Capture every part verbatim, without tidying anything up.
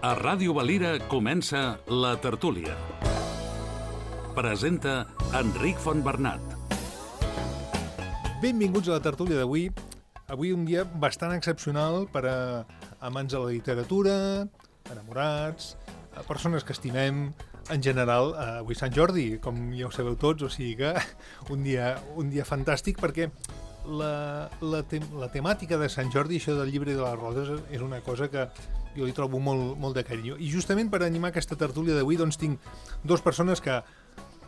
A Ràdio Valira comença La Tertúlia. Presenta Enric Fontbernat. Benvinguts a La Tertúlia d'avui. Avui un dia bastant excepcional per a amants de la literatura, enamorats, a persones que estimem, en general. Avui Sant Jordi, com ja ho sabeu tots, o sigui que un dia, un dia fantàstic, perquè la, la, te, la temàtica de Sant Jordi, això del llibre de les roses, és una cosa que jo li trobo molt, molt de carinyo. I justament per animar aquesta tertúlia d'avui doncs tinc dues persones que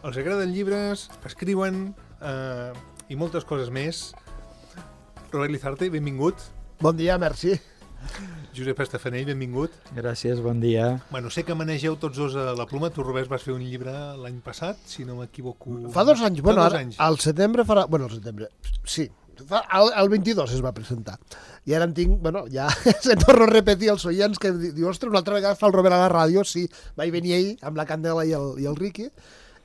els agraden llibres, escriuen eh, i moltes coses més. Robert Lizarte, benvingut. Bon dia, merci. Josep Estafanell, benvingut. Gràcies, bon dia. Bueno, sé que manegeu tots dos a la pluma. Tu, Robert, vas fer un llibre l'any passat, si no m'equivoco. Fa dos anys. Fa Bueno, dos ara, anys. al setembre farà... Bueno, al setembre, sí. Fa, el, el vint-i-dos es va presentar. I ara en tinc... Bueno, ja se torno a repetir als oients que diu, ostres, una altra vegada fa el Robert a la ràdio. Sí, vaig venir ahir amb la Candela i el, i el Riqui.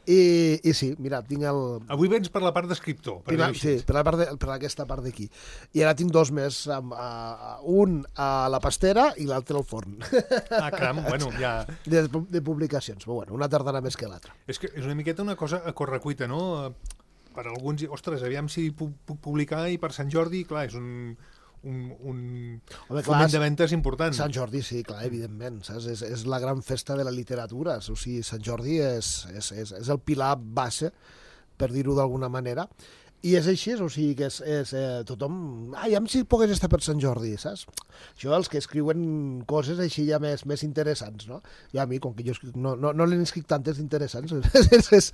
I, I sí, mira, tinc el... Avui vens per la part d'escriptor. Per Prima, sí, per, la part de, per aquesta part d'aquí. I ara tinc dos més, amb, a, un a la pastera i l'altre al forn. Ah, caram, bueno, ja... De, de publicacions, però bueno, una tardana més que l'altra. És que és una miqueta una cosa a correcuita, no? Per alguns, ostres, aviam si puc, puc publicar, i per Sant Jordi, clar, és un... un, un Home, foment de ventes important. Sant Jordi, sí, clar, evidentment, saps? És, és la gran festa de la literatura, o sigui, Sant Jordi és, és, és, és el pilar base, per dir-ho d'alguna manera, i és així, o sigui, que és, és eh, tothom... Ai, amb si pogués estar per Sant Jordi, saps? Això, els que escriuen coses així ja més, més interessants, no? I a mi, com que jo escric, no, no, no n'he escrit tantes interessants, és, és,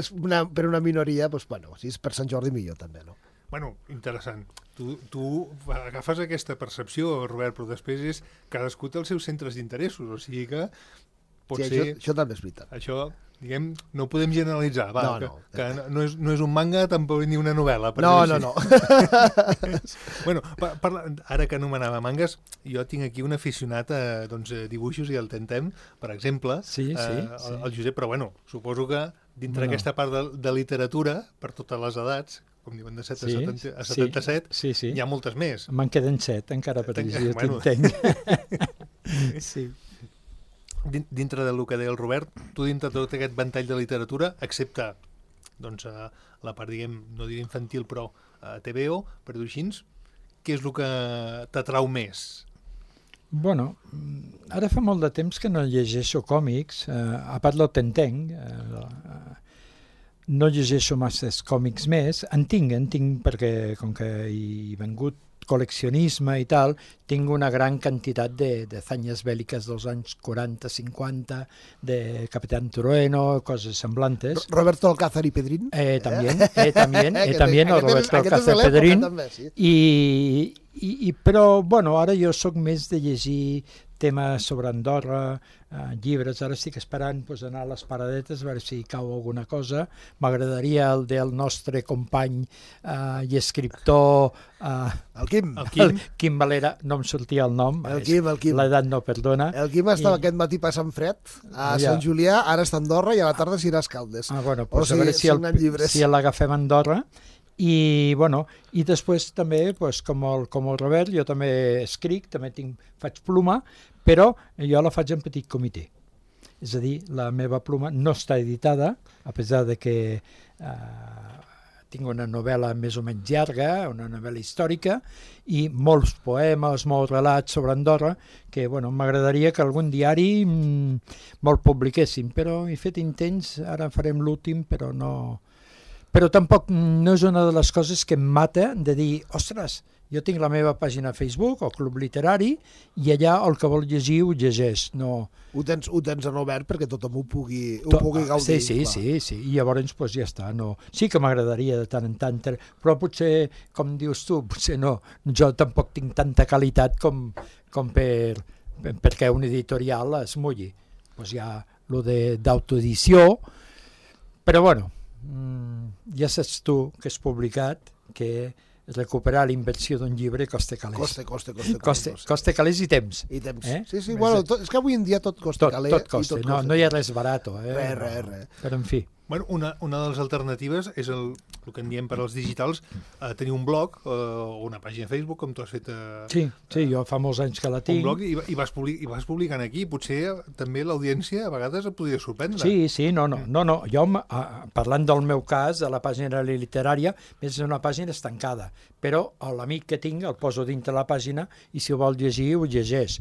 és una, per una minoria, doncs, bueno, si és per Sant Jordi millor també, no? Bueno, interessant. Tu, tu agafes aquesta percepció, Robert, però després és cadascú té els seus centres d'interessos, o sigui que pot Sí, ser... això, això també és veritat. Això, diguem, no ho podem generalitzar, va, No, que, no. que no, és, no és un manga, tampoc ni una novel·la. Per No, dir-ho no, així. no. Bueno, pa, parla, ara que anomenava mangas, jo tinc aquí un aficionat a, doncs, a dibuixos i el Tentem, per exemple, Sí, sí, eh, sí. el, el Josep, però bueno, suposo que dintre Bueno. aquesta part de, de literatura, per totes les edats, com diuen de set a Sí, setanta, a sí, setanta-set, sí, sí. hi ha moltes més. Me'n queden set, encara per Tenc- dir, jo bueno. t'entenc. Sí. Din- Dintre del que deia el Robert, tu dintre de tot aquest ventall de literatura, excepte doncs, a la part, diguem, no diré infantil, però a T V O, per dir-ho així, què és el que t'atrau més? Bueno, ara fa molt de temps que no llegeixo còmics, eh, a part lo t'entenc, eh, no llegeixo masses còmics més, en tinc, en tinc perquè com que he vengut col·leccionisme i tal, tinc una gran quantitat de, de zanyes bèl·liques dels anys quaranta, cinquanta, de Capitán Trueno, coses semblantes. Roberto Alcázar y Pedrín. Eh, también, eh, también, eh, Que también, aquest el és- Roberto aquest és de Alcázar l'època Pedrín. també, sí. I, i, i, però, bueno, ara jo sóc més de llegir temes sobre Andorra, eh, llibres. Ara estic esperant pues, anar a les paradetes a veure si cau alguna cosa. M'agradaria el del nostre company eh, i escriptor eh, El Quim. El Quim? el Quim Valera, no em sortia el nom. El Quim, el Quim. L'edat no perdona. El Quim estava I- aquest matí passant fred a Ja. Sant Julià, ara està a Andorra i a la tarda s'irà a Escaldes. Ah, bueno, O pues sigui, a veure si, el, signant llibres. si l'agafem a Andorra. I, bueno, i després també, pues, com, el, com el Robert, jo també escric, també tinc, faig pluma, però jo la faig en petit comitè. És a dir, la meva pluma no està editada, a pesar de que eh, tinc una novel·la més o menys llarga, una novel·la històrica, i molts poemes, molts relats sobre Andorra, que bueno, m'agradaria que algun diari mm, me'l publiquessin, però he fet intents, ara farem l'últim, però no... Però tampoc no és una de les coses que em mata de dir, ostres, jo tinc la meva pàgina a Facebook o Club Literari i allà el que vol llegir ho llegeix. No... Ho tens, ho tens en obert perquè tothom ho pugui, ho To- pugui gaudir. Sí, sí, clar. sí, sí, i llavors pues, ja està. No. Sí que m'agradaria de tant en tant, però potser, com dius tu, potser no, jo tampoc tinc tanta qualitat com, com per, per, perquè un editorial es mulli. Pues hi ha lo de d'autoedició, però bueno, ja saps tu que és publicat que recuperar la inversió d'un llibre costa calés. Costa, costa, costa. Costa, costa calés i temps. I temps. Eh? Sí, sí, Més bueno, de- tot, és que avui en dia tot costa Tot, calés. tot costa, no, no hi ha res barat. Eh? Res, res, res. Però en fi. Bueno, una, una de les alternatives és el, el que en diem per als digitals, eh, tenir un blog eh, o una pàgina Facebook, com tu has fet... Eh, Sí, sí, jo fa molts anys que la tinc. un blog i, i, vas public, i vas publicant aquí. Potser també l'audiència a vegades et podria sorprendre. Sí, sí, no, no, no, no. Jo, eh, parlant del meu cas, de la pàgina literària, és una pàgina estancada, però l'amic que tinc el poso dintre la pàgina i si ho vol llegir, ho llegeix.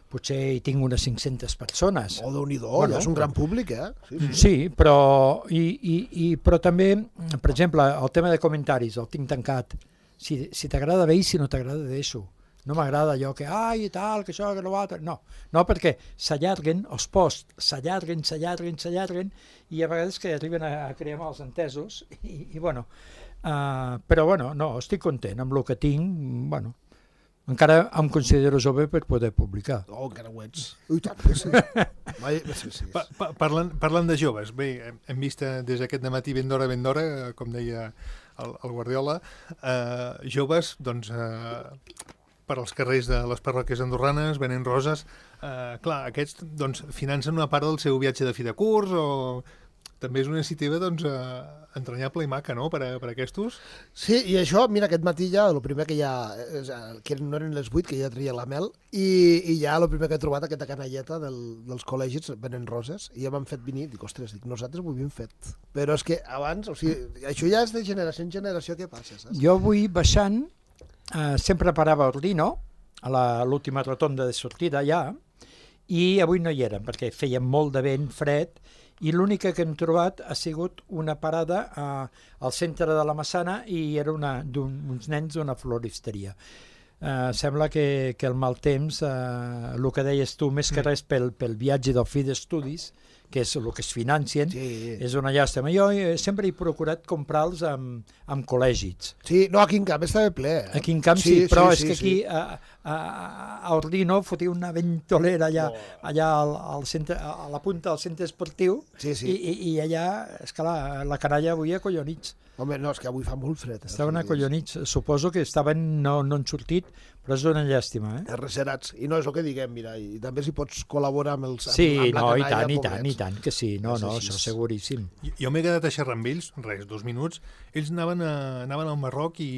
Potser hi tinc unes cinc-centes persones. Oh, Déu-n'hi-do, Bueno, ja és un gran públic, eh? Sí, sí. Sí, però, i, i, i, però també, per exemple, el tema de comentaris, el tinc tancat. Si, si t'agrada bé i si no t'agrada, deixo. No m'agrada allò que, ai, i tal, que això, que no l'altre. No, no, perquè s'allarguen, els posts s'allarguen, s'allarguen, s'allarguen, i a vegades que arriben a, a crear mals entesos, i, i bueno, uh, però bueno, no, estic content amb el que tinc, bueno, encara em considero jove per poder publicar. Oh, encara ho ets. Ui, tant, que sí. Vai, sí, sí. Pa, pa, parlant, parlant de joves, bé, hem, hem vist eh, des d'aquest dematí ben d'hora, ben d'hora, eh, com deia el, el Guardiola, eh, joves, doncs, eh, per als carrers de les parròquies andorranes, venent roses. Eh, clar, aquests doncs, financen una part del seu viatge de fi de curs o... També és una iniciativa doncs, eh, entranyable i maca, no?, per a, per a aquestos. Sí, i això, mira, aquest matí ja, el primer que ja, que no eren les vuit, que ja treia la mel, i, i ja el primer que he trobat, aquesta canalleta del, dels col·legis venent roses, i ja m'han fet venir, dic, ostres, dic, nosaltres ho havíem fet. Però és que abans, o sigui, això ja és de generació en generació, què passa, saps? Jo avui baixant, eh, sempre parava a Ordino, a la- l'última rotonda de sortida ja, i avui no hi eren, perquè feia molt de vent, fred, i l'única que hem trobat ha sigut una parada a, al centre de la Massana i era una, d'un, uns nens d'una floristeria. Uh, sembla que, que el mal temps, uh, el que deies tu, més que res pel, pel viatge del fi d'estudis, que és el que es financien, Sí. és una llàstima. Jo eh, sempre he procurat comprar-los amb, amb col·legis. Sí, no, aquí en Camp estava ple. Eh? Aquí en Camp sí, però sí, és sí, que aquí sí. a, a, a Ordino fotia una ventolera allà, Oh. allà al, al centre, a la punta del centre esportiu Sí, sí. I, i, i allà, és que la, la canalla avui acollonits. Home, no, és que avui fa molt fred. Eh? Estaven O sigui, acollonits. Suposo que estaven, no, no han sortit, però és una llàstima, eh? Reserats. I no és el que diguem, mira, i també si pots col·laborar amb els... Sí, amb, amb no, la i canalla, tant, i tant, pobrets. i tant, que sí. No, És no, així. això seguríssim. Jo, jo m'he quedat a xerrar amb ells, res, dos minuts. Ells anaven, a, anaven al Marroc i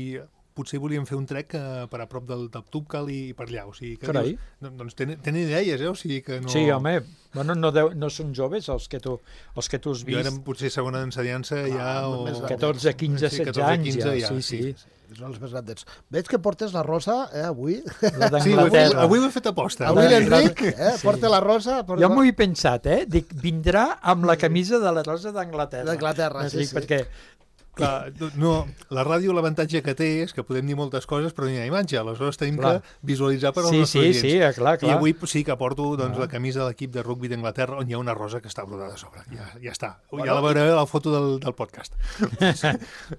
potser volien fer un trek eh, per a prop del, del Tubcal i per allà. O sigui, que Carai. dius, no, doncs tenen, tenen idees, eh? O sigui que no... Sí, home, bueno, no, deu, no són joves els que tu, els que tu has Jo vist. érem potser segona ensenyança Clar, ja o... més grans. catorze, quinze, Sí, setze catorze, anys quinze ja, sí, sí. Són els més grandets. Veig que portes la rosa, eh, avui. La Sí, avui, d'Anglaterra. avui ho he fet aposta. Avui la- l'Enric, eh, Sí. porta la rosa. Porta... Jo m'ho he pensat, eh? Dic, vindrà amb la camisa de la Rosa d'Anglaterra. D'Anglaterra, sí, Dic, sí. Perquè, Clar, no, la ràdio l'avantatge que té és que podem dir moltes coses però no hi ha imatge, aleshores tenim Clar. que visualitzar per als sí, nostres sí, oients. sí, eh, clar, I clar. avui sí que porto doncs, Ah. la camisa de l'equip de rugby d'Anglaterra on hi ha una rosa que està brodada a sobre. Ja, ja està. Bueno, ja la veureu a la foto del, del podcast.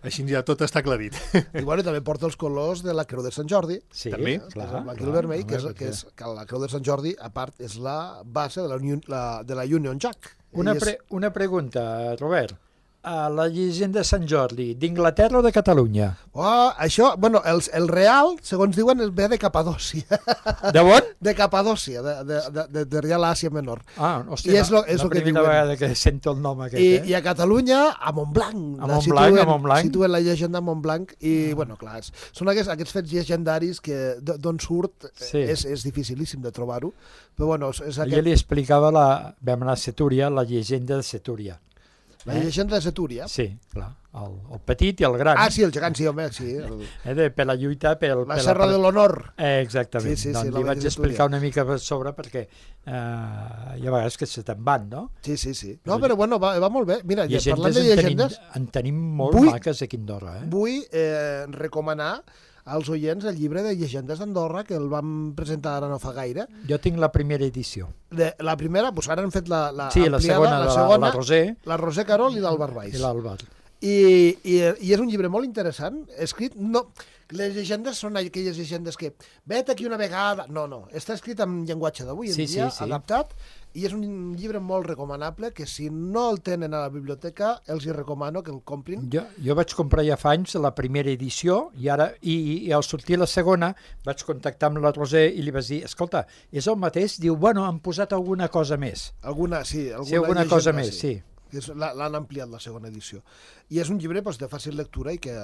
Així ja tot està aclarit. I bueno, també porta els colors de la Creu de Sant Jordi. Sí, també. clar, el blanc i clar, el vermell, que és, home, que perquè- és que la Creu de Sant Jordi, a part, és la base de la, Union, la, de la Union Jack. Una, I és- pre una pregunta, Robert. A la llegenda de Sant Jordi, d'Inglaterra o de Catalunya? Oh, això, bueno, el, el real, segons diuen, es ve de Capadòcia. De on? De Capadòcia, de, de, de, de, de Real Àsia Menor. Ah, hòstia, I és lo- la, és la lo que primera diuen. vegada que sento el nom aquest, I, eh? I a Catalunya, a Montblanc. A La Montblanc, situen- a Montblanc. Situen la llegenda a Montblanc i, bueno, clar, és, són aquests, aquests fets llegendaris que d- d'on surt Sí. és, és dificilíssim de trobar-ho, però bueno, és, és Jo aquest, li explicava, la, vam anar a Setúria, la llegenda de Setúria. la llegenda de Setúria. Sí, clar, el, el petit i el gran. Ah, sí, el gegant, sí, home, sí. El, Eh, de, per la lluita, pel, la per Serra de l'Honor. Eh, exactament. Sí, sí, sí, doncs la li vaig vaig estudiar. explicar una mica per sobre perquè eh, hi ha vegades que se te'n van, no? Sí, sí, sí. No, però bueno, va, va molt bé. Mira, ja, parlant Llegendes de en tenim, llegendes, en tenim molt Vull- maques aquí a Andorra, eh? vull eh, recomanar als oients el llibre de llegendes d'Andorra, que el vam presentar ara no fa gaire. Jo tinc la primera edició. De, la primera, doncs ara han fet la, la Sí, la ampliada, segona, la, de la, segona, la Roser la Roser Carol i l'Àlvar Valls. i l'Àlvar. I, i, I és un llibre molt interessant, escrit... No, les llegendes són aquelles llegendes que vet aquí una vegada... No, no, està escrit en llenguatge d'avui en Sí, dia, sí, sí. adaptat, i és un llibre molt recomanable que si no el tenen a la biblioteca els hi recomano que el comprin. Jo, jo vaig comprar ja fa anys la primera edició i ara i, i al sortir la segona vaig contactar amb la Roser i li vaig dir, escolta, és el mateix? Diu, bueno, han posat alguna cosa més. Alguna, sí, alguna, Sí, alguna llegenda, cosa més, sí. que és- l'ha- l'han ampliat la segona edició. I és un llibre doncs, de fàcil lectura i que,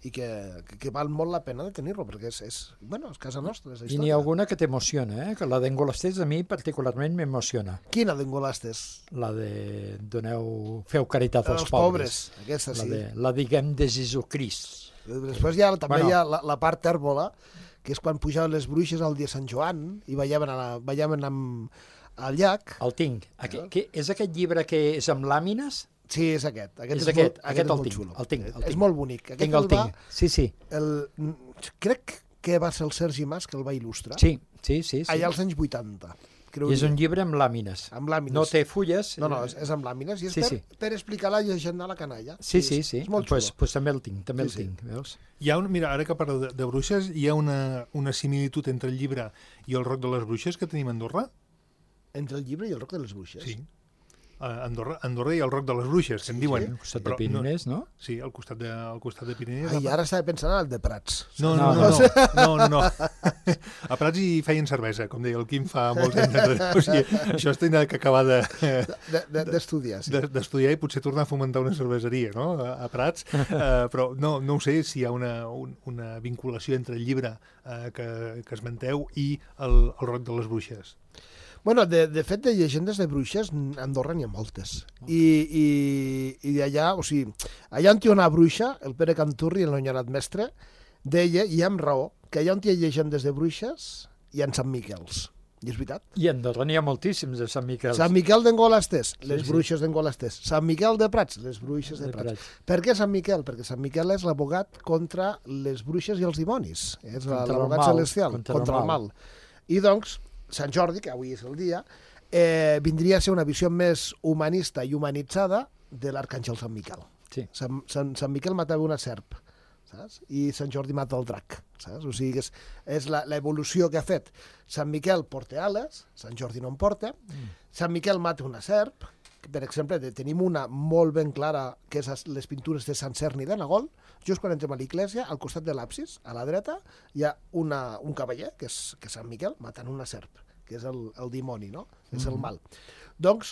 i que, que, que val molt la pena de tenir-lo, perquè és, és, bueno, és casa nostra, és la I n'hi ha història. alguna que t'emociona, eh? Que la d'Engolasters a mi particularment m'emociona. Quina d'Engolastes? La de doneu, feu caritat als Els pobres. pobres, aquesta La, sí. de, la diguem de Jesucrist. Després hi ha, també Bueno. hi ha la, la part tèrbola, que és quan pujaven les bruixes al dia de Sant Joan i ballaven, a la, ballaven amb, al llac. El tinc. Aqu que, és aquest llibre que és amb làmines? Sí, és aquest. Aquest És és, aquest, molt, aquest aquest és el molt tinc, xulo. el tinc, el És tinc. molt bonic. Aquest Tinc el el va, tinc. Sí, sí. el, crec que va ser el Sergi Mas que el va il·lustrar. Sí, sí, sí. sí. Allà als anys vuitanta. I és un llibre amb làmines. Amb làmines. No té fulles. No, no, és, és amb làmines i és Sí, per, sí. per explicar la llegenda a la canalla. Sí, I sí, és, sí. És molt pues, xulo. pues també el tinc, també Sí, el tinc, veus? Hi ha un, mira, ara que parlo de, de bruixes, hi ha una, una similitud entre el llibre i el Roc de les Bruixes que tenim a Andorra. Entre el llibre i el Roc de les Bruixes. Sí. A Andorra, Andorra i el Roc de les Bruixes, que en diuen. Al costat de Però Pirinès, no? No, sí, al costat de, al costat de Pirinès. Ai, ara estava pensant en el de Prats. No, no, no, no, no, no, no. A Prats hi feien cervesa, com deia el Quim fa molts anys enrere. O sigui, això es tenia que acabar de, D'estudiar, sí. de- d'estudiar i potser tornar a fomentar una cerveseria, no?, a, a Prats. Uh, però no, no ho sé si hi ha una, un, una vinculació entre el llibre uh, que, que esmenteu i el, el Roc de les Bruixes. Bueno, de, de fet, de llegendes de bruixes, a Andorra n'hi ha moltes. I, i, i d'allà, o sigui, allà on hi ha una bruixa, el Pere Canturri, el enyorat mestre, deia, i amb raó, que allà on hi ha llegendes de bruixes, hi ha Sant Miquels. I és veritat. I a Andorra n'hi ha moltíssims de Sant Miquel. Sant Miquel d'Engolastés, les sí. bruixes d'Engolastés. Sant Miquel de Prats, les bruixes de De Prats. Prats. Per què Sant Miquel? Perquè Sant Miquel és l'abogat contra les bruixes i els dimonis. És la- Contra el l'abogat mal, celestial, contra contra, el el mal. I doncs, Sant Jordi, que avui és el dia, eh, vindria a ser una visió més humanista i humanitzada de l'arcàngel Sant Miquel. Sí. Sant, Sant, Sant Miquel matava una serp, saps? I Sant Jordi mata el drac, saps? O sigui, que és, és la- l'evolució que ha fet. Sant Miquel porta ales, Sant Jordi no en porta. Mm. Sant Miquel mata una serp, que, per exemple, de- tenim una molt ben clara, que és as- les pintures de Sant Cerni de Nagol. Just quan entrem a l'església, al costat de l'absis, a la dreta, hi ha una, un cavaller, que és, que és Sant Miquel, matant una serp, que és el, el dimoni, no? És Mm-hmm. el mal. Doncs,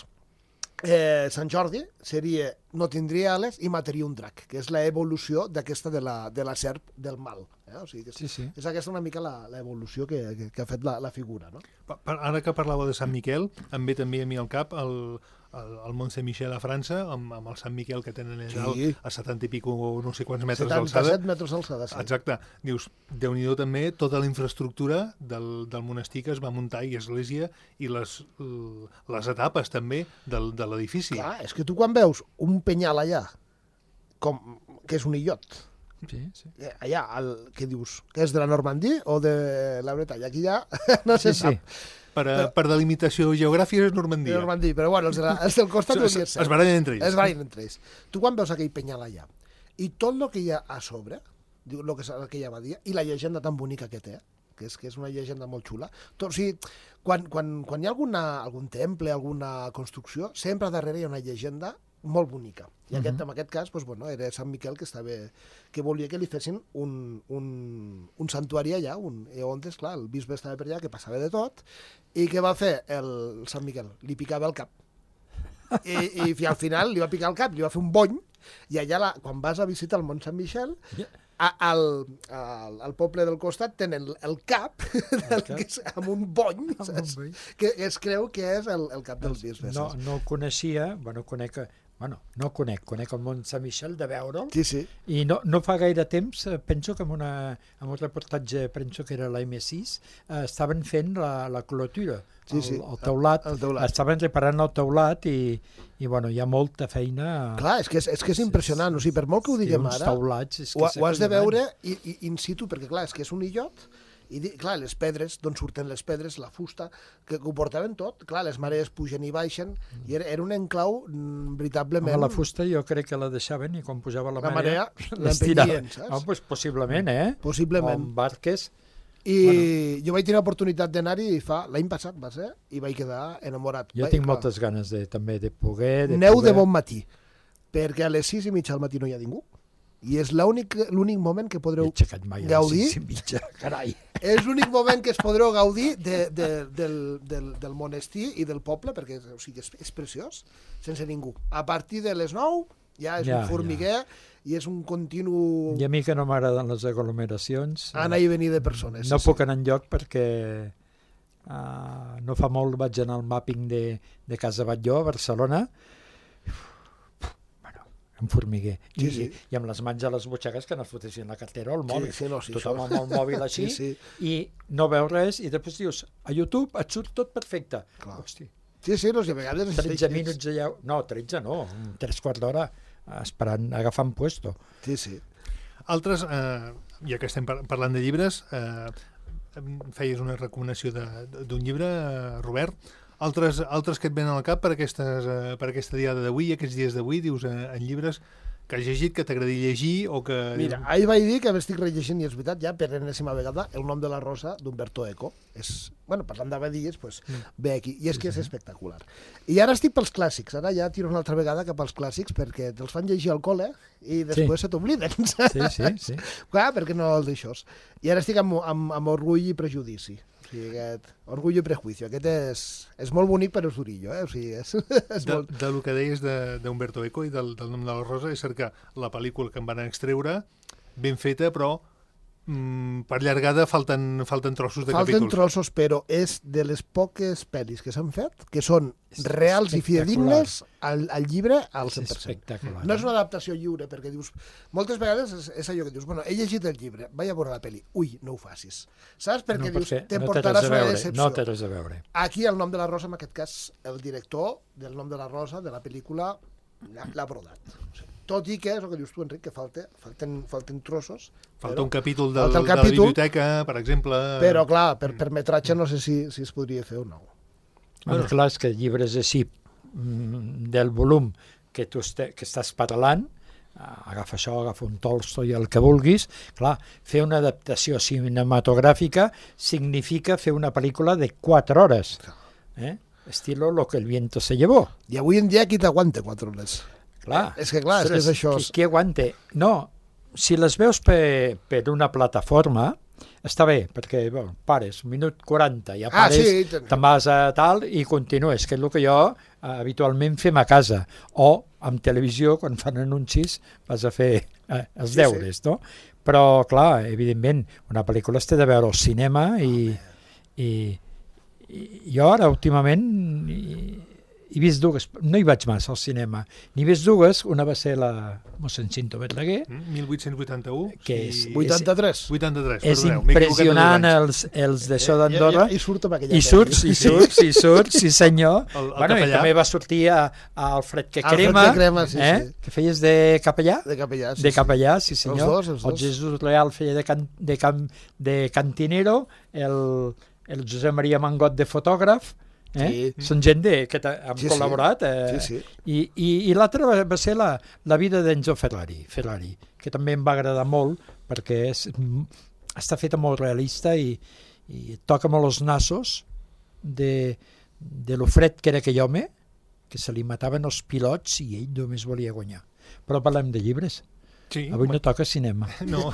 eh, Sant Jordi seria, no tindria ales i mataria un drac, que és l'evolució d'aquesta de la, de la serp del mal. Eh? O sigui, que és, Sí, sí. és aquesta una mica la- l'evolució que, que, que ha fet la, la figura, no? Pa- pa- Ara que parlava de Sant Miquel, em ve també a mi al cap el, el, el Mont Saint-Michel a França, amb, amb el Sant Miquel que tenen allà dalt, Sí. a setanta i pico, no sé quants metres d'alçada. setanta-set metres d'alçada, sí. Exacte. Dius, Déu-n'hi-do també tota la infraestructura del, del monestir que es va muntar i església i les, l- les etapes també del, de l'edifici. Clar, és que tu quan veus un penyal allà, com, que és un illot, Sí, sí. eh, allà, el, què dius? Que és de la Normandie o de la Bretanya? Aquí ja no se Sí, sí. sap. Per, a, per delimitació geogràfica és De Normandia. Normandie, però bueno, els, de la, els del costat ho Es, devia es, ser. es barallen entre ells. Es barallen entre ells. Tu quan veus aquell penyal allà, i tot el que hi ha a sobre, diu, el que és aquella abadia, i la llegenda tan bonica que té, que és, que és una llegenda molt xula. Tot, o sigui, quan, quan, quan hi ha alguna, algun temple, alguna construcció, sempre darrere hi ha una llegenda molt bonica. I aquest, en aquest cas, doncs, bueno, era Sant Miquel que, estava, que volia que li fessin un, un, un santuari allà, un, i on, esclar, el bisbe estava per allà, que passava de tot, i què va fer el Sant Miquel? Li picava el cap. I, i al final li va picar el cap, li va fer un bony, i allà, la, quan vas a visitar el Mont Sant Michel, a, al, al, al poble del costat tenen el cap, del, cap. que és, amb un bony, Amb un saps? bony. Que es creu que és el, el cap dels bisbes. No, saps? no el coneixia, bueno, conec, bueno, no el conec, conec el Mont Sant Michel de veure'l, Sí, sí. i no, no fa gaire temps, eh, penso que en, una, en un reportatge, penso que era la eme sis, eh, estaven fent la, la clotura, Sí, el, sí. el teulat, El teulat. estaven reparant el teulat i, i bueno, hi ha molta feina. Clar, és que és, és, que és impressionant, o sigui, per molt que ho Sí, diguem uns ara, teulats, és que ho, és ho has de acollonant. veure i, i, in situ, perquè clar, és que és un illot, i di- clar, les pedres, d'on surten les pedres, la fusta, que, que ho portaven tot, clar, les marees pugen i baixen, i era, era un enclau mm, veritablement... Home, la fusta jo crec que la deixaven i quan pujava la, La marea l'estiraven. l'empenyien, saps? Oh, pues, possiblement, eh? Possiblement. O amb barques. I bueno. jo vaig tenir l'oportunitat d'anar-hi fa l'any passat, va ser, i vaig quedar enamorat. Jo Vaig- tinc clar, moltes ganes de, també de poder... De Neu poder... de bon matí, perquè a les sis i mitja del matí no hi ha ningú, I és l'únic l'únic moment que He podreu aixecat mai a les gaudir. sis i mitja, carai. És l'únic moment que es podreu gaudir de, de, del, del, del monestir i del poble, perquè o sigui, és, és preciós, sense ningú. A partir de les nou ja és Ja, un formiguer i és un continu I a mi que no m'agraden les aglomeracions, anar i venir de persones. no sí, puc anar enlloc perquè uh, no fa molt vaig anar al mapping de, de Casa Batlló, a Barcelona. Bueno, un formiguer. Sí, I, sí. I amb les mans a les butxaques que no es fotessin la cartera o el mòbil. Sí, sí, no, sí, Tothom això- amb el mòbil així Sí, sí. i no veus res i després dius, a YouTube et surt tot perfecte. Clar. Hosti, Sí, sí, no, si a vegades... tretze minuts allà... No, tretze no, un tres quarts d'hora esperant, agafant puesto. Sí, sí. Altres, eh, ja que estem par parlant de llibres, eh, em feies una recomanació de- d'un llibre, eh, Robert. Altres, altres que et venen al cap per, aquestes, eh, per aquesta diada d'avui, aquests dies d'avui, dius, eh, en llibres que has llegit, que t'agradi llegir o que... Mira, ahir vaig dir que m'estic rellegint, i és veritat, ja per enèsima vegada, El nom de la rosa d'Umberto Eco. És, bueno, parlant d'abadies, pues, mm. ve aquí. I és que és espectacular. I ara estic pels clàssics. Ara ja tiro una altra vegada cap als clàssics perquè te'ls fan llegir al col·le i després Sí. se t'obliden. Sí, sí, sí. Clar, perquè no els deixos. I ara estic amb, amb, amb orgull i prejudici. O sigui, aquest orgull i prejuicio. Aquest és, és molt bonic, però és durillo, eh? O sigui, és, és De, molt... de lo que deies de- d'Umberto Eco i del, del nom de la rosa, és cert que la pel·lícula que en van extreure, ben feta, però mm, per llargada falten, falten trossos de Falten capítols. trossos, però és de les poques pel·lis que s'han fet que són És reals i espectacular. fidedignes al, al llibre al És cent per cent. espectacular. No és una adaptació lliure, perquè dius... Moltes vegades és, és allò que dius, bueno, he llegit el llibre, vaig a veure la pel·li. Ui, no ho facis. Saps? Perquè no, dius, perquè te no té portaràs res a una veure, decepció. no té res a veure. Aquí, el nom de la rosa, en aquest cas, el director del nom de la rosa, de la pel·lícula, l'ha l'ha brodat. O sigui, tot i que, és el que dius tu, Enric, que falta, falten, falten trossos. Falta però, un capítol del, falta el de la capítol, biblioteca, per exemple. Però, clar, per, per metratge no sé si, si es podria fer o no. Bueno, Bueno. clar, és que llibres així mm, del volum que tu este, que estàs parlant, ah, agafa això, agafa un Tolstoi, el que vulguis, clar, fer una adaptació cinematogràfica significa fer una pel·lícula de quatre hores, eh? Estilo Lo que el viento se llevó. I avui en dia qui t'aguanta quatre hores? Clar, És que clar, és que és això. Qui, qui aguante? No, si les veus per, per una plataforma, està bé, perquè bueno, pares, un minut quaranta, ja Ah, pares, sí, ten- te'n vas a tal i continues, que és el que jo eh, habitualment fem a casa. O amb televisió, quan fan anuncis, vas a fer eh, els Sí, deures, no? Però, clar, evidentment, una pel·lícula es té de veure al cinema i, i, i jo ara, últimament, i, he vist dues, no hi vaig massa al cinema, n'he vist dues, una va ser la mossèn Cinto Verdaguer, Mm, mil vuit-cents vuitanta-u. Que és- i- vuitanta-tres. vuitanta-tres, és perdoneu, m'he equivocat de dos impressionant anys. els, els d'això d'Andorra, I, i, i surt amb aquella i surts, i surts, i surts, sí senyor. El- el bueno, i capellà. també va sortir a, a Alfred que Alfred crema, que crema, sí, eh? sí. que feies de capellà? De capellà, sí, de capellà, sí, Els senyor. dos, els dos. El Jesús Leal feia de, can, de, can, de cantinero, el, el Josep Maria Mangot de fotògraf, eh? Sí. Són gent de, que ta- han Sí, sí. col·laborat. Eh? Sí, sí. I, i, i l'altre va, va ser la, la vida d'Enzo Ferrari, Ferrari, que també em va agradar molt perquè és, mm, està feta molt realista i, i toca molt els nassos de, de lo fred que era aquell home, que se li mataven els pilots i ell només volia guanyar. Però parlem de llibres. Sí, Avui no toca cinema. No,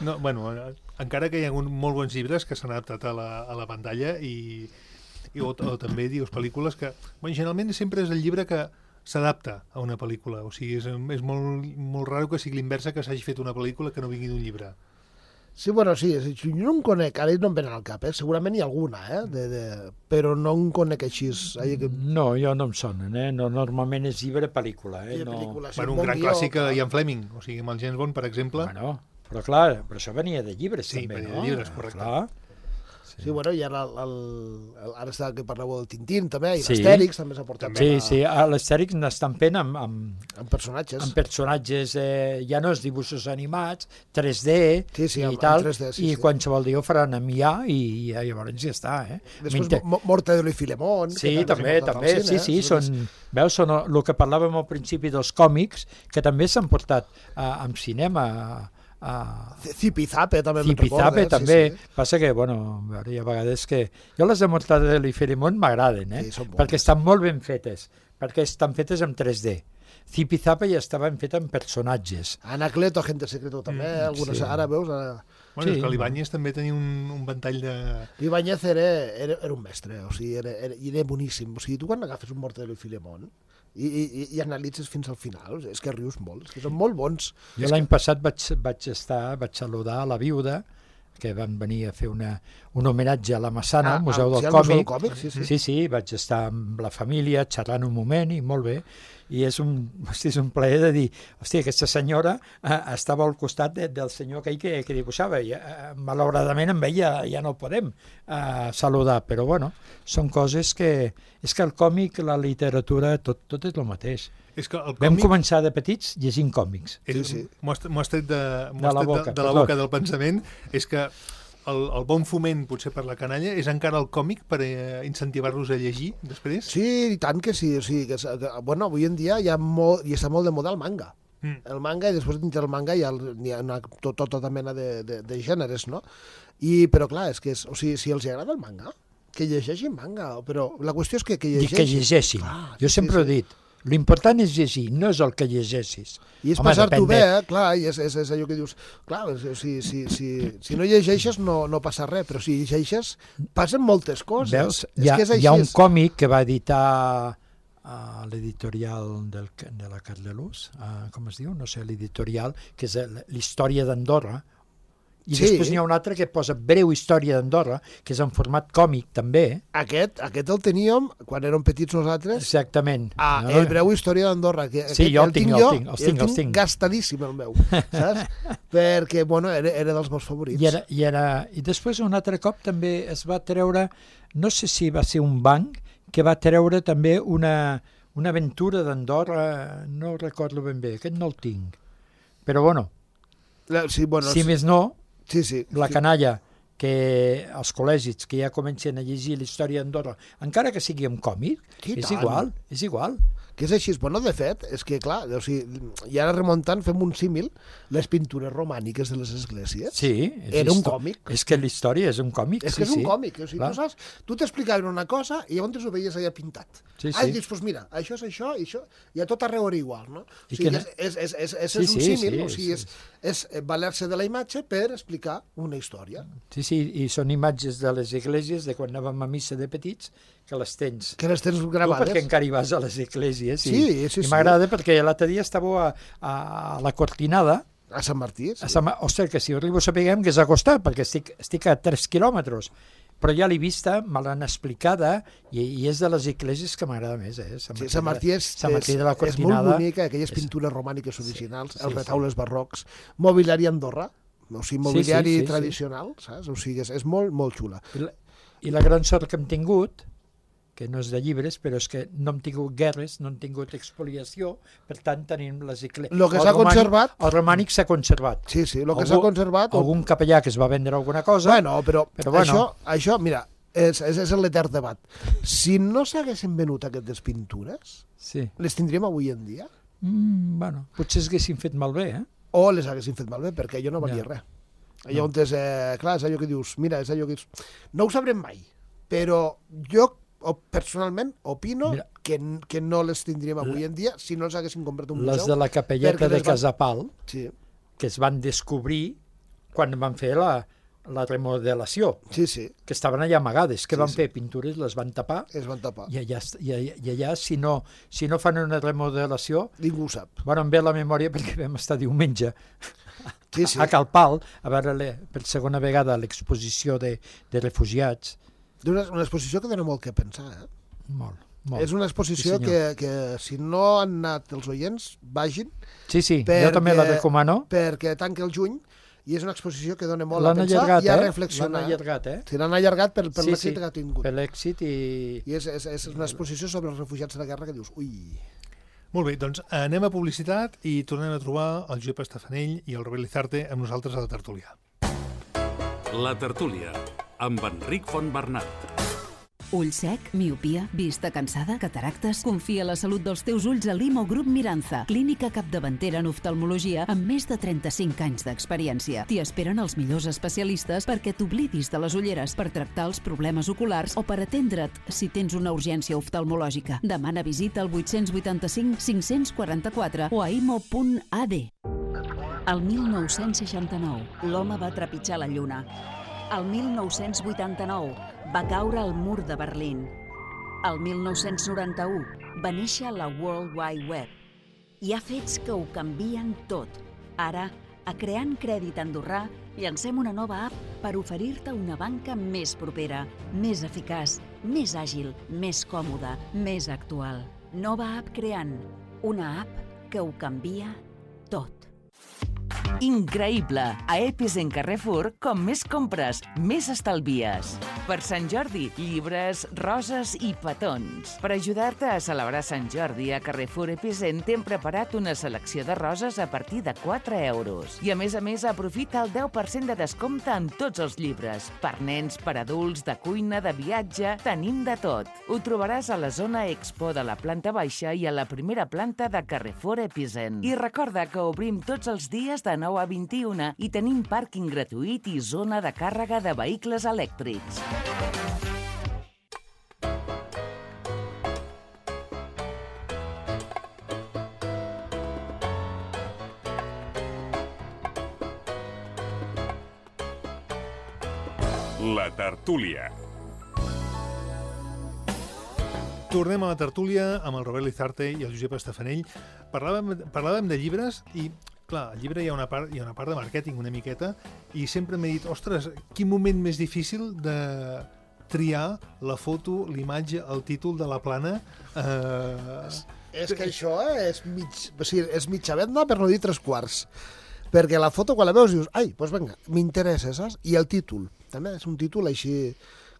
no, bueno, encara que hi ha hagut molt bons llibres que s'han adaptat a la, a la pantalla i, i o, o també dius pel·lícules que, bueno, generalment sempre és el llibre que s'adapta a una pel·lícula, o sigui, és, és molt, molt raro que sigui l'inversa, que s'hagi fet una pel·lícula que no vingui d'un llibre. Sí, bueno, sí, és- jo no en conec, ara no em venen al cap, eh? Segurament hi ha alguna, eh? De, de... però no en conec així. Ai, que... No, jo no em sonen, eh? No, normalment és llibre-pel·lícula. Eh? Hi ha No... pel·lícules, sí, Bueno, un bon gran guió, clàssic clar. de Ian Fleming, o sigui, amb el James Bond, per exemple. Bueno, però clar, però això venia de llibres Sí, també, venia no? de llibres, correcte. Clar. Sí, bueno, i ara, el, el, el, ara està que parleu del Tintín, també, i Sí. l'Astèrix també s'ha portat Sí, a, sí, a l'Astèrix n'estan fent amb, amb, amb personatges. amb personatges, eh, ja no és dibuixos animats, tres D Sí, sí, i amb- amb tal, tres D, sí, i sí. qualsevol dia ho faran amb I A i, i llavors ja està, eh? Després, M'inter- Mo- Mortadelo i Filemón. Sí, que també, s'ha portat també, al sí, cine, sí, eh? són, veus, són el que parlàvem al principi dels còmics, que també s'han portat a, amb cinema, a, a Zipizape també me'n Zipizape recorda, també, Sí, sí. passa que, bueno, a veure, hi ha vegades que... Jo les de Mortadelo i Filemón m'agraden, eh? Sí, són bones. perquè estan molt ben fetes, perquè estan fetes amb tres D. Zipizapa ja estaven fet en personatges. Anacleto, Agente Secreto també, Mm, algunes, sí. ara veus... Ara... Bueno, Sí. és que l'Ibáñez també tenia un, un ventall de... Ibáñez era, era, era un mestre, o sigui, era, era, era boníssim. O sigui, tu quan agafes un Mortadelo i Filemón i, i, i analitzes fins al final, és que rius molt, és que són molt bons. Jo l'any passat vaig, vaig estar, vaig saludar la viuda, que van venir a fer una, un homenatge a la Massana, al Museu ah, del sí, al Museu del Còmic. Còmic, sí, sí. Sí, sí, vaig estar amb la família xerrant un moment i molt bé. I és un, hosti, és un plaer de dir, hòstia, aquesta senyora eh, estava al costat de, del senyor aquell que, que dibuixava. I, eh, malauradament amb ell ja, ja no el podem eh, saludar, però bueno, són coses que... És que el còmic, la literatura, tot, tot és el mateix. És que el Vam còmic començar de petits llegint còmics. és, Sí, sí. m'ho has, m'ho has tret de, m'ho De has la tret boca, de, de la perdó. boca del pensament, és que el, el bon foment, potser per la canalla, és encara el còmic per eh, incentivar-los a llegir després? Sí, i tant que sí. O sigui, que, és- que, bueno, avui en dia hi, ha molt, hi està molt de moda el manga. Mm. El manga, i després dintre del manga hi ha, el- hi ha una, tot, tota mena de, de, de gèneres, no? I, però clar, és que és, o sigui, si els agrada el manga, que llegeixin manga, però la qüestió és que, que I llegeixin. que llegeixin. Clar, Jo sí, sempre sí, he dit, l'important és llegir, no és el que llegeixis. I és Home, passar-t'ho depèn bé, de- eh? Clar, i és, és, és allò que dius, clar, si, si, si, si no llegeixes no, no passa res, però si llegeixes passen moltes coses. Veus? És Hi ha, que és hi ha un així. còmic que va editar a l'editorial del, de la Cardelús, uh, com es diu? No sé, l'editorial, que és el- l'història d'Andorra, i Sí. després n'hi ha un altre que posa breu història d'Andorra, que és en format còmic també, Aquest, aquest el teníem quan érem petits nosaltres, exactament. Ah, No? el breu història d'Andorra. Que Sí, aquest jo el tinc, tinc el jo, tinc, els i tinc, els tinc. gastadíssim el meu, saps? Perquè, bueno, era, era dels meus favorits. I, era, i, era, I després un altre cop també es va treure, no sé si va ser un banc, que va treure també una, una aventura d'Andorra, no recordo ben bé, aquest no el tinc. Però bueno, La, sí, bueno, si més no, sí, sí, la sí. canalla, que els col·legis que ja comencen a llegir la història d'Andorra, encara que sigui en còmic, I és tant. igual, és igual. Que és així. Bueno, de fet, és que, clar, o sigui, i ara remuntant, fem un símil, les pintures romàniques de les esglésies. Sí, és Era un histo- còmic. És que la història és un còmic, És sí, que és un sí. còmic, o sigui, Clar. tu saps, tu t'explicaven una cosa i llavors ho veies allà pintat. Sí, Ah, i sí. dius, doncs mira, això és això i això, i a tot arreu era igual, no? O I sigui, que és, és, és, és, és, Sí, és un sí, símil, sí, o sigui, sí. és, és valer-se de la imatge per explicar una història. Sí, sí, i són imatges de les esglésies de quan anàvem a missa de petits, que les tens. Que les tens Tu gravades. perquè encara hi vas a les esglésies. I, Sí, sí, i sí. m'agrada perquè l'altre dia estava a, a la Cortinada, A Sant Martí, sí. a Sant... ostres, que si arribo a saber que és a costat, perquè estic, estic a tres quilòmetres, però ja l'he vista, me l'han explicada, i, i és de les esglésies que m'agrada més, eh? Sant Sí, Martí, Sant Martí és, Sant Martí de la és, és molt Cortinada. bonica, aquelles és- pintures romàniques originals, sí, els sí. retaules barrocs, mobiliari Andorra, o sigui, mobiliari sí, sí, sí. tradicional, saps? O sigui, és, és molt, molt xula. I la, I la gran sort que hem tingut, que no és de llibres, però és que no hem tingut guerres, no hem tingut expoliació, per tant tenim les esglésies. Lo que s'ha conservat- El romànic s'ha conservat. Sí, sí, el que Algú- s'ha conservat... Algun capellà que es va vendre alguna cosa... Bueno, però, Però bueno. Això, això, mira, és, és, és l'etern debat. Si no s'haguessin venut aquestes pintures, Sí. les tindríem avui en dia? Mm, bueno, potser s'haguessin fet malbé, eh? O les haguessin fet malbé, perquè jo no valia Ja. res. Allò on és, eh, clar, és allò que dius, mira, és allò que dius, no ho sabrem mai, però jo o, personalment opino Mira. que, que no les tindríem avui en dia si no les haguessin comprat un Les museu. de la capelleta perquè de les van- Casapal, Sí, que es van descobrir quan van fer la, la remodelació, sí, sí, que estaven allà amagades, que Sí, van sí. fer pintures, les van tapar, es van tapar. i allà, i allà, i allà si, no, si no fan una remodelació, Ningú ho sap. bueno, em ve a la memòria perquè vam estar diumenge Sí, sí. a Calpal a veure le, per segona vegada l'exposició de, de refugiats. Una, una exposició que dona molt que pensar, eh? Molt, molt. És una exposició Sí, que, senyor. que si no han anat els oients, vagin, Sí, sí, perquè- jo també la recomano. perquè tanca el juny i és una exposició que dona molt a L'han pensar allargat, i a eh? L'han reflexionar. allargat, eh? Si l'han allargat per, per Sí, l'èxit sí. que ha tingut. Per l'èxit i... I és, és, és una exposició sobre els refugiats de la guerra que dius, ui... Molt bé, doncs anem a publicitat i tornem a trobar el Josep Estafanell i el Robert Lizarte amb nosaltres a la tertúlia. La tertúlia, amb Enric Fontbernat. Ull sec, miopia, vista cansada, cataractes... Confia la salut dels teus ulls a Limo Grup Miranza, clínica capdavantera en oftalmologia amb més de trenta-cinc anys d'experiència. T'hi esperen els millors especialistes perquè t'oblidis de les ulleres, per tractar els problemes oculars o per atendre't si tens una urgència oftalmològica. Demana visita al vuit vuit cinc cinc quatre quatre o a imo punt a d. El mil nou-cents seixanta-nou, l'home va trepitjar la lluna. El mil nou-cents vuitanta-nou, va caure el mur de Berlín. El mil nou-cents noranta-u, va néixer la World Wide Web. Hi ha fets que ho canvien tot. Ara, a Creant Crèdit Andorrà, llancem una nova app per oferir-te una banca més propera, més eficaç, més àgil, més còmoda, més actual. Nova app Creant, una app que ho canvia tot. Increïble! A Epicent Carrefour, com més compres, més estalvies. Per Sant Jordi, llibres, roses i petons. Per ajudar-te a celebrar Sant Jordi, a Carrefour Epicent t'hem preparat una selecció de roses a partir de quatre euros. I a més a més, aprofita el deu per cent de descompte en tots els llibres. Per nens, per adults, de cuina, de viatge, tenim de tot. Ho trobaràs a la zona Expo de la planta baixa i a la primera planta de Carrefour Epicent. I recorda que obrim tots els dies de nou a vint-i-una i tenim pàrquing gratuït i zona de càrrega de vehicles elèctrics. La tertúlia. Tornem a la tertúlia amb el Robert Lizarte i el Josep Estafanell. Parlàvem, parlàvem de llibres i, clar, al llibre hi ha una part, hi ha una part de màrqueting una miqueta i sempre m'he dit, ostres, quin moment més difícil de triar la foto, l'imatge, el títol de la plana. Eh... És, és que això és, mig, o sigui, és mitja venda, per no dir tres quarts. Perquè la foto, quan la veus, dius, ai, doncs vinga, m'interessa, saps? I el títol, també és un títol així,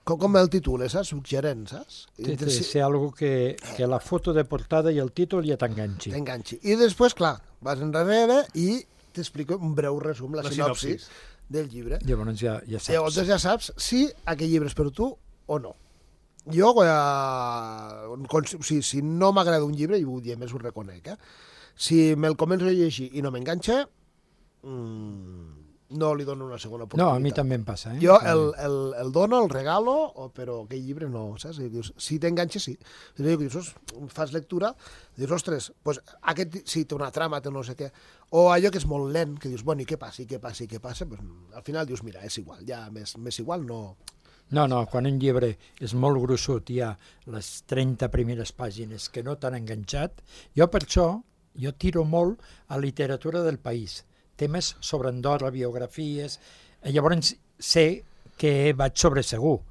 com, com el títol, saps? Suggerent, saps? Té de ser algo que, que la foto de portada i el títol ja t'enganxi. T'enganxi. I després, clar, vas enrere i t'explico un breu resum, la, la sinopsis, sinopsis del llibre. Llavors ja, ja saps. Llavors ja saps si aquest llibre és per tu o no. Jo, eh, si, si no m'agrada un llibre, i ho diem, més ho reconec, eh? Si me'l començo a llegir i no m'enganxa, mmm, no li dono una segona oportunitat. No, a mi també em passa. Eh? Jo el, el, el dono, el regalo, però aquell llibre no, saps? I dius, si t'enganxa, sí. I dius, fas lectura, dius, ostres, pues, aquest sí, té una trama, té no sé què. O allò que és molt lent, que dius, bueno, i què passa, i què passa, i què passa? Pues, al final dius, mira, és igual, ja més, més igual no... No, no, quan un llibre és molt gruixut, hi ha les trenta primeres pàgines que no t'han enganxat, jo per això, jo tiro molt a literatura del país, temes sobre Andorra, biografies, llavors sé que vaig sobre segur,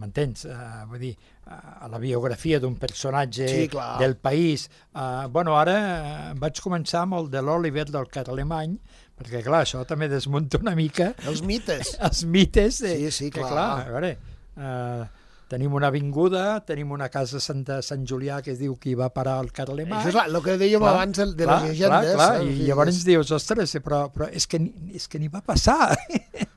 m'entens? Uh, vull dir, uh, a la biografia d'un personatge sí, del país. Uh, bueno, ara uh, vaig començar amb el de l'Oliver del Carlemany, perquè, clar, això també desmunta una mica... Els mites. Els mites. Eh, sí, sí, clar. Que, clar, a veure, uh, tenim una avinguda, tenim una casa Santa Sant Julià que es diu que hi va parar el Carlemany. Això és el que dèiem clar, abans de, de clar, les llegendes. Clar, clar, i llavors ens dius, ostres, però, però és que, és que n'hi va passar.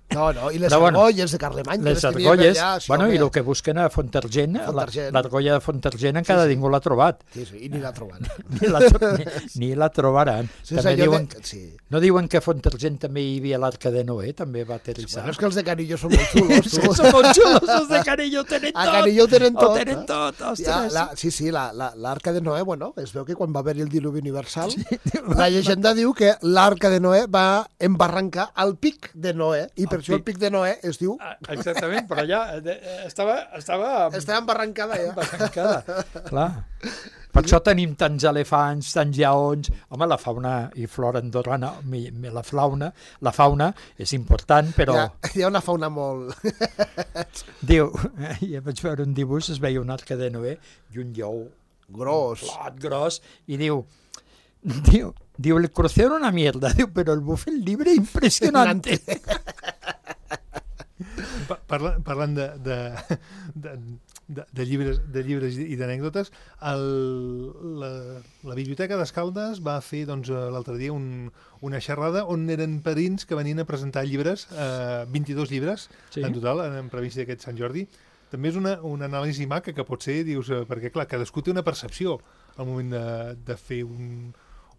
No, no, i les però, bueno, argolles de Carlemany. Les argolles, allà, sí, bueno, i el que busquen a Fontargent, l'argolla de Fontargent encara sí, sí. ningú l'ha trobat. Sí, sí, i ni l'ha trobat. ni, la, ni, ni la trobaran. Sí, també diuen, de... sí. No diuen que a Fontargent també hi havia l'Arca de Noé, també va aterrissar. Sí, bueno, és que els de Canillo són molt xulos. Tu. Són molt xulos, els de Canillo tenen tot. A Canillo tenen tot. Ho tenen tot, ostres. Ja, la, sí, sí, l'Arca de Noé, bueno, es veu que quan va haver-hi el diluvi universal, sí, la llegenda diu que l'Arca de Noé va embarrancar al pic de Noé, i per el això pic. el pic de Noé es diu... Ah, exactament, però allà estava... Estava, estava embarrancada, ja. Embarrancada, clar. Per això tenim tants elefants, tants lleons... Home, la fauna i flora andorrana, la fauna, la fauna és important, però... Hi ha, hi ha una fauna molt... Diu, ja vaig veure un dibuix, es veia una arca de Noé i un lleó... Gros. Un plat gros, i diu... Diu, diu, el crucero una mierda, diu, però el bufet libre impressionante. Parlant, parlant de, de, de, de, de llibres, de llibres i d'anècdotes, la, la Biblioteca d'Escaldes va fer doncs, l'altre dia un, una xerrada on eren padrins que venien a presentar llibres, eh, vint-i-dos llibres sí. en total, en previst d'aquest Sant Jordi. també és una, una anàlisi maca que pot ser, dius, eh, perquè clar, cadascú té una percepció al moment de, de fer un,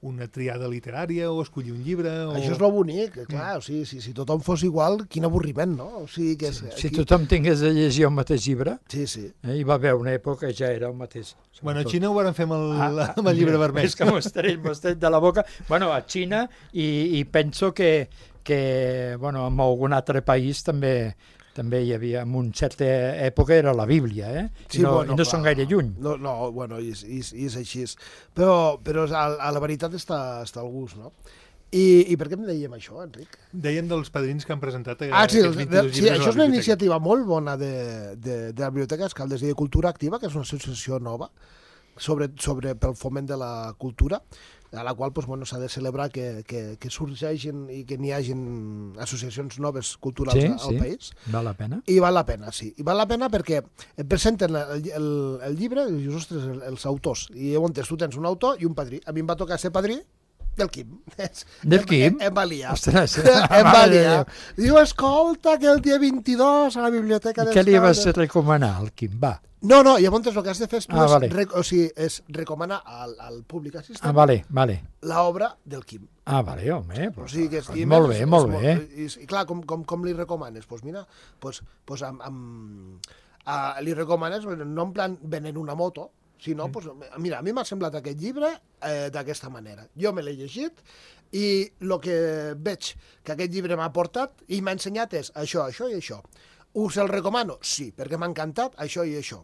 una triada literària o escollir un llibre. O... Això és lo bonic, clar, o sigui, si, si tothom fos igual, quin avorriment, no? O sigui, que és, Si aquí... tothom tingués de llegir el mateix llibre, Sí, sí. eh, hi va haver una època que ja era el mateix. Bueno, a Xina ho van fer amb el, Ah, amb el llibre vermell. És que m'ho estrell, m'ho estrell de la boca. Bueno, a Xina, i, i penso que, que bueno, en algun altre país també també hi havia, en una certa època era la Bíblia, eh? Sí, I no, bueno, i no clar. són gaire lluny. No, no bueno, i és, i és, i és així. Però, però a, a la veritat està, està al gust, no? I, I per què em dèiem això, Enric? Dèiem dels padrins que han presentat eh, Ah, sí, aquests el, vint-i-dos sí, llibres a això la és una biblioteca. iniciativa molt bona de, de, de la Biblioteca Escaldes i de Cultura Activa, que és una associació nova sobre, sobre pel foment de la cultura, a la qual doncs, bueno, s'ha de celebrar que, que, que sorgeixin i que n'hi hagin associacions noves culturals Sí, al sí. país. Val la pena. I val la pena, sí. I val la pena perquè et presenten el, el, el llibre i dius, ostres, el- els autors. I llavors tu tens un autor i un padrí. A mi em va tocar ser padrí del Quim. Del Quim? Em, em va liar. Ostres, em va mare de liar. Déu. Diu, escolta, que el dia vint-i-dos a la biblioteca I què li vas d'Escaldes... recomanar al Quim? Va. No, no, llavors el que has de fer és, tu Ah, és, vale. rec o sigui, és recomanar al, al públic Ah, assistent vale, vale. l'obra del Quim. Ah, vale, home. O Pues, sigui que és, pues i molt més bé, és- molt és bé. I, i clar, com, com, com li recomanes? Doncs pues mira, pues, pues amb, amb, uh, li recomanes, no en plan venent una moto, sinó, pues, mira, a mi m'ha semblat aquest llibre eh, d'aquesta manera. Jo me l'he llegit i el que veig que aquest llibre m'ha aportat i m'ha ensenyat és això, això i això. Us el recomano? Sí, perquè m'ha encantat això i això.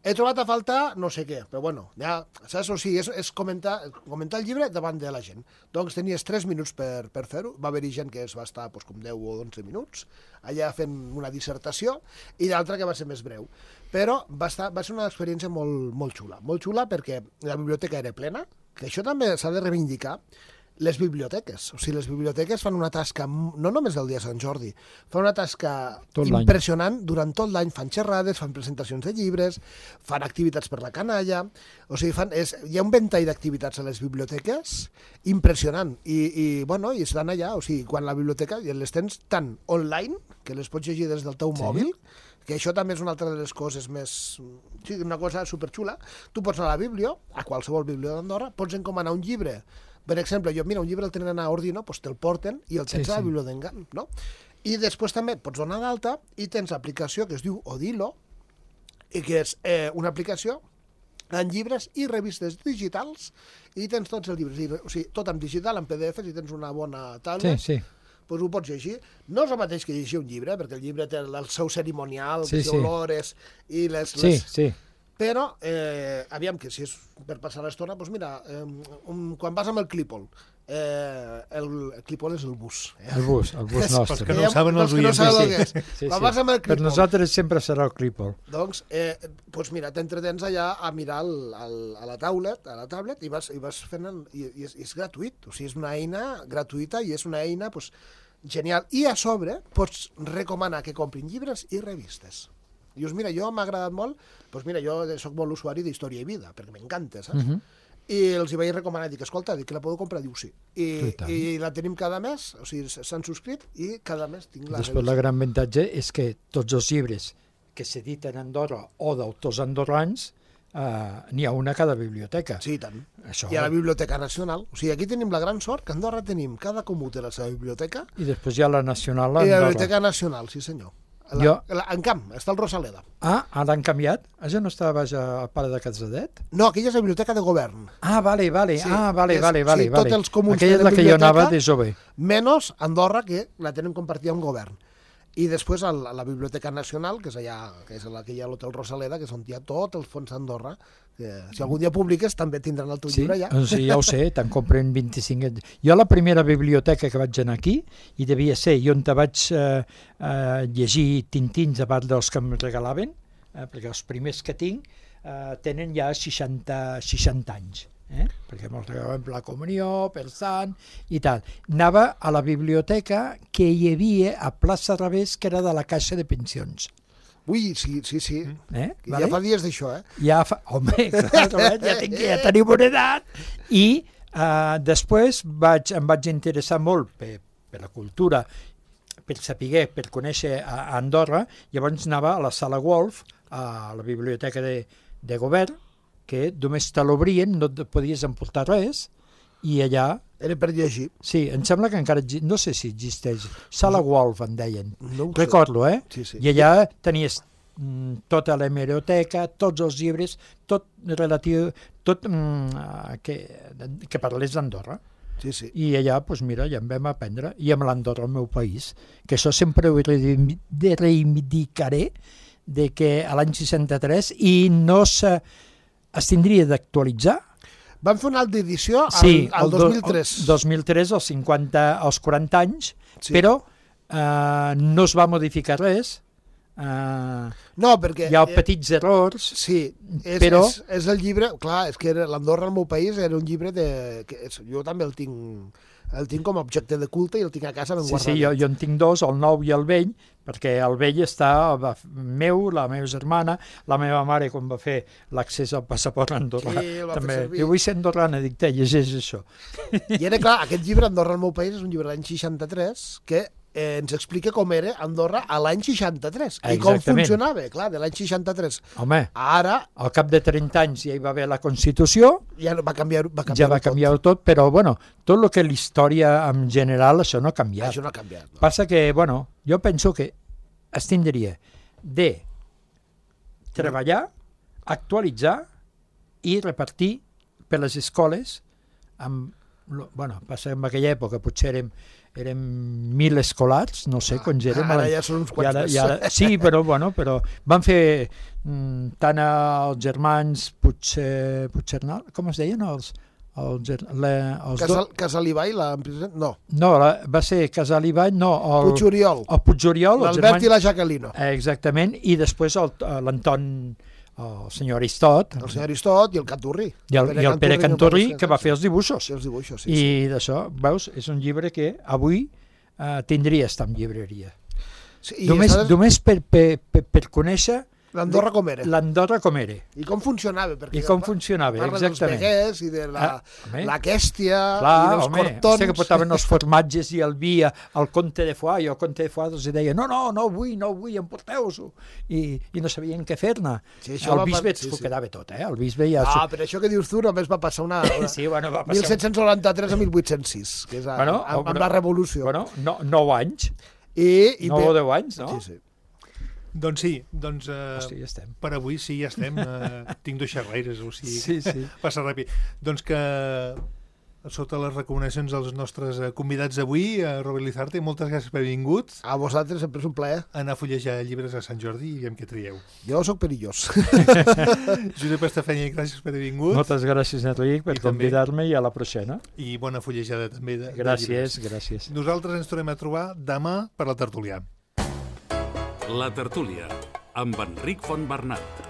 He trobat a faltar no sé què, però bueno, ja, saps? O sigui, és, és comentar, comentar el llibre davant de la gent. Doncs tenies tres minuts per, per fer-ho, va haver-hi gent que es va estar doncs, com deu o onze minuts, allà fent una dissertació, i d'altra que va ser més breu. Però va, estar, va ser una experiència molt, molt xula, molt xula perquè la biblioteca era plena, que això també s'ha de reivindicar, les biblioteques. O sigui, les biblioteques fan una tasca, no només el dia de Sant Jordi, fan una tasca Tot l'any. impressionant durant tot l'any. Fan xerrades, fan presentacions de llibres, fan activitats per la canalla. O sigui, fan, és, hi ha un ventall d'activitats a les biblioteques impressionant. I, i, bueno, i estan allà. O sigui, quan la biblioteca les tens tant online, que les pots llegir des del teu Sí. mòbil, que això també és una altra de les coses més... Sí, una cosa superxula. Tu pots anar a la biblio, a qualsevol biblio d'Andorra, pots encomanar un llibre. Per exemple, jo, mira, un llibre el tenen a Ordino, doncs te'l porten i el tens Sí, a la sí. biblioteca, no? I després també pots donar d'alta i tens l'aplicació que es diu Odilo, i que és eh, una aplicació en llibres i revistes digitals, i tens tots els llibres, i, o sigui, tot en digital, en P D Fs, i tens una bona Sí, tablet, sí. doncs ho pots llegir. No és el mateix que llegir un llibre, perquè el llibre té el, el seu cerimonial, Sí, les sí. olores i les... Sí, les... sí. Però, eh, aviam, que si és per passar l'estona, doncs mira, eh, um, quan vas amb el Clípol, eh, el, el Clípol és el bus. Eh? El bus, el bus Pels nostre. que no ho saben els Pels que no oients, saben sí. el que és. Sí, Quan sí. vas amb el Per Clípol, nosaltres sempre serà el Clípol. doncs, eh, doncs mira, t'entretens allà a mirar el, el, a la tablet, a la tablet i vas, i vas fent... El, i, i, és, i és gratuït, o sigui, és una eina gratuïta i és una eina doncs, genial. I a sobre pots recomanar que comprin llibres i revistes. Dius, mira, jo m'ha agradat molt, doncs mira, jo sóc molt usuari d'Història i Vida, perquè m'encanta, saps? Mhm. I els hi vaig recomanar, dic, escolta, dic que la podeu comprar? Diu, sí. I, I tant. i la tenim cada mes, o sigui, s'han subscrit i cada mes tinc la Després, la gran avantatge és que tots els llibres que s'editen a Andorra o d'autors andorrans, eh, n'hi ha una a cada biblioteca. Sí, i tant. Això. I a la Biblioteca Nacional. O sigui, aquí tenim la gran sort que a Andorra tenim cada comú té la seva biblioteca I després hi ha la Nacional a i la Andorra. Biblioteca Nacional, sí senyor. La, Jo- la, en camp, està el Rosaleda. Ah, ara han canviat? Això no estava baix al pare de Casadet? No, aquella és la Biblioteca de Govern. Ah, vale, vale, Sí, ah, vale, és- vale, sí, vale. tots vale. els comuns Aquella és tenen la que jo biblioteca. anava de jove. Menys Andorra, que la tenen compartida amb Govern. I després a la, a la Biblioteca Nacional, que és allà, que és la que hi ha l'Hotel Rosaleda, que és on hi ha tot el fons d'Andorra, que si algun dia publiques també tindran el teu Sí, llibre allà. doncs sí, ja ho sé, te'n compren vint-i-cinc... Jo la primera biblioteca que vaig anar aquí, i devia ser, i on te vaig eh, eh, llegir tintins a part dels que em regalaven, eh, perquè els primers que tinc eh, tenen ja seixanta, seixanta anys. Eh? Perquè me'ls regalaven per la comunió, per sant i tal. Anava a la biblioteca que hi havia a plaça Revés, que era de la Caixa de Pensions. Ui, sí, sí, sí. Eh? Que Ja fa dies d'això, eh? Ja fa... Home, clar, ja, tinc, ja tenim una edat. I uh, després vaig, em vaig interessar molt per, per la cultura, per saber, per conèixer a, a Andorra, llavors anava a la Sala Wolf, a la biblioteca de, de govern, que només te l'obrien, no et podies emportar res, i allà... Era per llegir. Sí, em sembla que encara... No sé si existeix. Sala Wolf, en deien. No ho sé. Recordo, eh? Sí, sí. I allà tenies mm, tota la hemeroteca, tots els llibres, tot relatiu... Tot mm, que, que parlés d'Andorra. Sí, sí. I allà, doncs mira, ja en vam aprendre. I amb l'Andorra, el meu país, que això sempre ho reivindicaré, de que a l'any seixanta-tres, i no se... es tindria d'actualitzar. Van fer una altra edició al, Sí, al el dos mil tres. El dos mil tres, als cinquanta, als quaranta anys, Sí. però eh, no es va modificar res. Eh, No, perquè... hi ha petits errors. Sí, és, però- és, és el llibre... Clar, és que era- l'Andorra, el meu país, era un llibre de... Que és, jo també el tinc, el tinc com a objecte de culte i el tinc a casa ben Sí, guardat. sí, jo, jo en tinc dos, el nou i el vell, perquè el vell està va, meu, la meva germana, la meva mare quan va fer l'accés al passaport andorrà. Sí, el va fer també. servir. Jo vull ser andorrana, dic, te, llegeix això. I era clar, aquest llibre, Andorra, el meu país, és un llibre de l'any seixanta-tres que eh, ens explica com era Andorra a l'any seixanta-tres i com Exactament. funcionava, clar, de l'any seixanta-tres. Home, Ara al cap de trenta anys ja hi va haver la Constitució, ja va canviar, va canviar ja va canviar tot, però bueno, tot el que l'història en general, això no ha canviat. Això no ha canviat. No? Passa que, bueno, jo penso que es tindria de treballar, actualitzar i repartir per les escoles amb, lo- bueno, passa que en aquella època potser érem, érem mil escolars, no sé quants érem. Ara ja són uns I quants ara, més. i ara, sí, però, bueno, però van fer mm, tant els germans Puigcer, Puigcernal, com es deien? Els, els, ger- le, els do- Casal, Casalibai, l'empresa... No, No, la, va ser Casalibany, no, el, Puigoriol, el Puigoriol, els l'Albert germans... i la Jacquelino. Eh, Exactament, i després el- l'Anton, el senyor Aristot, El senyor Aristot i el Canturri. i el, i el Pere Canturri, que va fer els Sí, dibuixos. els dibuixos, sí. I sí. d'això, veus, és un llibre que avui eh, tindria estar en llibreria. sí I Només, aleshores, només per, per, per, per conèixer l'Andorra com era. l'Andorra com era. I com funcionava. Perquè I com pa- funcionava, parla exactament. dels veguers i de la, Ah, home. la quèstia Clar, i dels home, cortons. hòstia, que portaven els formatges i el vi a- al Comte de Foix, i el Comte de Foix els deia no, no, no vull, no vull, emporteu-s'ho. I, I no sabien què fer-ne. Sí, això el va bisbe pas- sí, s'ho sí. quedava tot, eh? El bisbe ja... Ah, però això que dius tu només va passar una... una Sí, bueno, va passar... mil set-cents noranta-tres a mil vuit-cents sis, que és a, Bueno, amb, amb bueno, la revolució. Bueno, no, nou anys, I, i nou bé- o deu anys, no? Sí, sí. Doncs sí, doncs eh, Hòstia, ja estem. per avui sí, ja estem. Eh, tinc dos xerraires, o sigui, Sí, sí. passa ràpid. Doncs que sota les recomanacions dels nostres eh, convidats d'avui, eh, Robert Lizarte, moltes gràcies per haver vingut. A vosaltres sempre és un plaer. Anar a fullejar llibres a Sant Jordi i veiem què trieu. Jo sóc perillós. Josep Estefania, gràcies per haver vingut. Moltes gràcies, Enric, per I també- convidar-me i a la pròxima. I bona fullejada també de, de Gràcies, llibres. gràcies. Nosaltres ens tornem a trobar demà per la tertúlia. La tertúlia, amb Enric Fontbernat.